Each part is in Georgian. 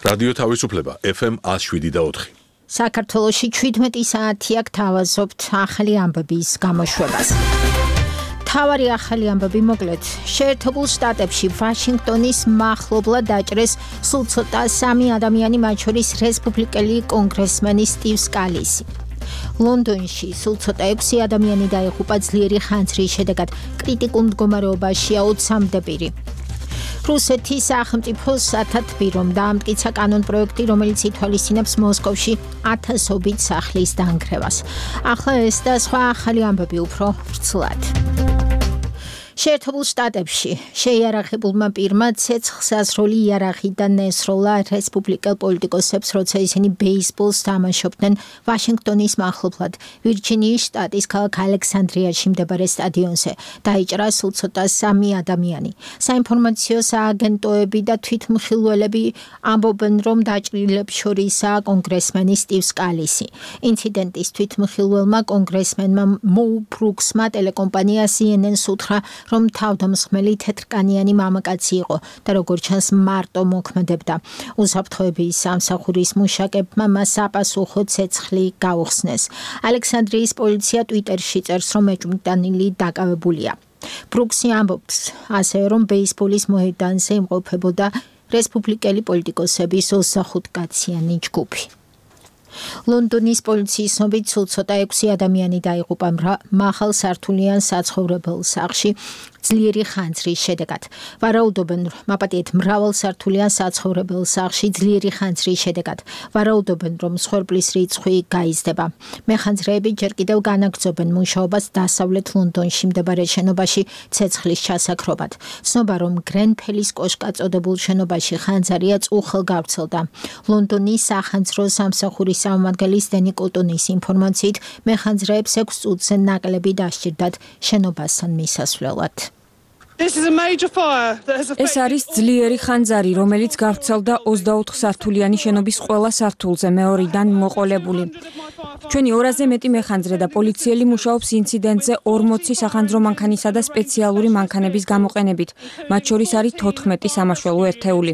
რადიო თავისუფლება FM 107.4. საქართველოში 17 საათია გთავაზობთ ახალი ამბების გამოშვებას. თავარი ახალი ამბები მოკლედ. შეერთებულ შტატებში ვაშინგტონის მახლობლად დაჭრეს სულ ცოტა 3 ადამიანი, მათ შორის რესპუბლიკელი კონგრესმენი სტივ სკალისი. ლონდონში სულ ცოტა 6 ადამიანი დაიღუპა ძლიერი ხანძრის შედეგად. კრიტიკულ მდგომარეობაშია 20-მდე პირი. რუსეთის სახელმწიფოს სათათბირომ დაამტკიცა კანონპროექტი, რომელიც ითვალისწინებს მოსკოვში 1000-ობით სახლის დანგრევას. ახლა ეს და სხვა ახალი ამბები უფრო ვრცლად. შეერთებულ შტატებში შეიარაღებულმა პირმა ცეცხლსასროლი იარაღიდან ესროლა რესპუბლიკელ პოლიტიკოსებს, როცა ისინი ბეისბოლს თამაშობდნენ ვაშინგტონის მახლობლად, ვირჯინიის შტატის ქალაქ ალექსანდრიაში მდებარე სტადიონზე. დაიჭრა სულ ცოტა 3 ადამიანი. საინფორმაციო სააგენტოები და თვითმხილველები ამბობენ, რომ დაჭრილებს შორისაა კონგრესმენი სტივ სკალისი. ინციდენტის თვითმხილველმა კონგრესმენმა მოუ ბრუქსმა ტელეკომპანია CNN-ს უთხრა, რომ თავდამსხმელი თეთრკანიანი მამაკაცი იყო და როგორც ჩანს მარტო მოქმედებდა. უსაფრთხოების სამსახურის მუშაკებმა მას საპასუხო ცეცხლი გაუხსნეს. ალექსანდრიის პოლიცია ტვიტერში წერს, რომ ეჭვმიტანილი დაკავებულია. ბრუქსი ამბობს ასევე, რომ ბეისბოლის მოედანზე იმყოფებოდა რესპუბლიკელი პოლიტიკოსების 25-კაციანი ჯგუფი. ლონდონის პოლიციის ცნობით სულ ცოტა 6 ადამიანი დაიღუპა მაღალ სართულიან საცხოვრებელ სახლში ძლიერი ხანძრის შედეგად. ვარაუდობენ, მაპატიეთ მრავალ სართულიან საცხოვრებელ სახლში ძლიერი ხანძრის შედეგად. ვარაუდობენ, რომ მსხვერპლის რიცხვი გაიზრდება. მეხანძრეები ჯერ კიდევ განაგრძობენ მუშაობას დასავლეთ ლონდონში მდებარე შენობაში ცეცხლის ჩასაქრობად. ცნობა, რომ გრენფელის კოშკაწოდებულ შენობაში ხანძარია წუხელ გავრცელდა. ლონდონის სახანძრო სამსახურის წარმომადგენლის დენი კოტონის ინფორმაციით, მეხანძრეებს 6 წუთზე ნაკლები დასჭირდათ შენობასთან მისასვლელად. ეს არის ძლიერი ხანძარი, რომელიც გავრცელდა 24 სართულიანი შენობის ყველა სართულზე, მეორიდან მოყოლებული. ჩვენი 200-ზე მეტი მეხანძრე და პოლიციელი მუშაობს ინციდენტზე 40 სახანძრო მანქანისა და სპეციალური მანქანების გამოყენებით. მათ შორის არის 14 სამაშველო ერთეული.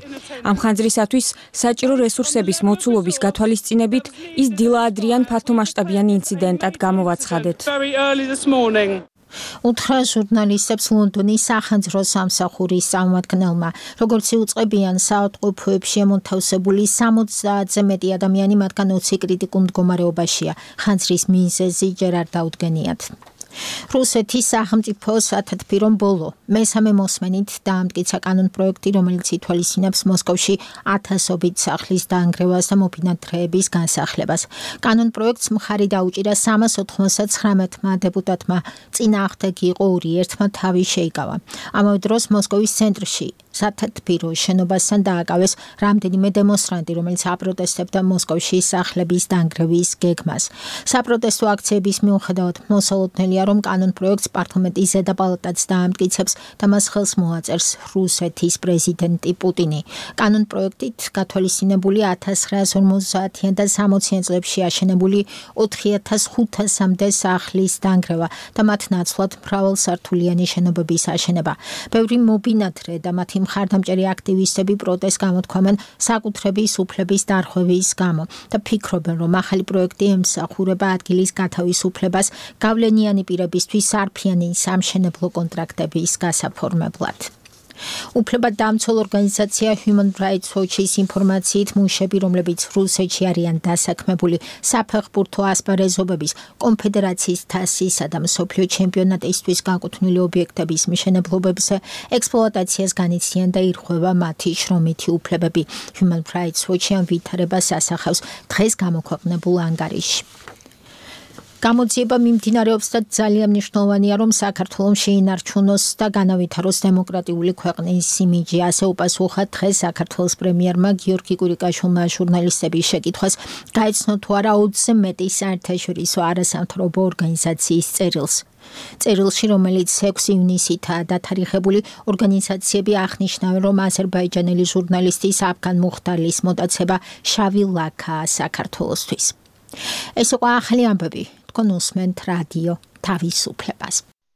ამ ხანძრისათვის საჭირო რესურსების მოცულობის გათვალისწინებით ის დილაადრიან ფართომასშტაბიან ინციდენტად გამოვაცხადეთ. უთხრა ჟურნალისტებს ლონდონის სახანძრო სამსახურის წარმომადგენელმა. როგორც იუწყებიან, საავადმყოფოებში ამონთავსებული 70-ზე მეტი ადამიანი, მათგან 20 კრიტიკულ მდგომარეობაშია. ხანძრის მიზეზი ჯერ არ დაუდგენიათ. რუსეთის სახელმწიფო სათათბირომ ბოლო მესამე მოსმენით დაამტკიცა კანონპროექტი, რომელიც ითვალისწინებს მოსკოვში 1000-ობით სახლის დაანგრევას და მობინადრეების განსახლებას. კანონპროექტს მხარი დაუჭირა 399-მა დეპუტატმა. წინააღმდეგ იყო 2, ერთმა თავი შეიკავა. ამავე დროს მოსკოვის ცენტრში სათათბირო შენობასთან დააკავეს რამდენიმე დემონსტრანტი, რომელიც აპროტესტებდა მოსკოვში სახლების დანგრევის გეგმას. საპროტესტო აქციების მიუხედავად მოსალოდნელია, რომ კანონპროექტს პარლამენტის ზედა პალატაც დაამტკიცებს და მას ხელს მოაწერს რუსეთის პრეზიდენტი პუტინი. კანონპროექტით გათვალისწინებული 1950-იან და 60-იან წლებში აშენებული 4500-მდე სახლის დანგრევა და მათ ნაცვლად მრავალსართულიანი შენობების აშენება. ბევრი მობინადრე და მათი მხარდამჭერი აქტივისტები პროტესტს გამოთქვამენ საკუთრების უფლების დარღვევის გამო და ფიქრობენ, რომ ახალი პროექტი ემსახურება ადგილის გათავისუფლებას გავლენიანი პირებისთვის სარფიანი სამშენებლო კონტრაქტების გასაფორმებლად. უფლებადამცველ ორგანიზაცია Human Rights Watch-ის ინფორმაციით, მუშები, რომლებიც რუსეთში არიან დასაქმებული საფეხბურთო ასპარეზობების, კონფედერაციის თასისა და მსოფლიო ჩემპიონატისთვის განკუთვნილი ობიექტების მშენებლობებზე ექსპლუატაციას განიცდიან და ირღვევა მათი შრომითი უფლებები. Human Rights Watch-ი ამ ვითარებას ასახავს დღეს გამოქვეყნებულ ანგარიში. გამოძიება მიმდინარეობს და ძალიან მნიშვნელოვანია, რომ საქართველოს შეინარჩუნოს და განავითაროს დემოკრატიული ქვეყნის იმიჯი. ასე უპასუხა დღეს საქართველოს პრემიერმა გიორგი კურიკაშვილმა ჟურნალისტების შეკითხვას, გაეცნო თუ არა 20-ზე მეტი საერთაშორისო არასამთავრობო ორგანიზაციის წერილს. წერილში, რომელიც 6 ივნისითაა დათარიღებული, ორგანიზაციები აღნიშნავენ, რომ აზერბაიჯანელი ჟურნალისტის აფგან მუხტალის მოტაცება შავი ლაქაა საქართველოსთვის. ეს იყო ახალი ამბები. თქვენ უსმენთ რადიო თავისუფლებას.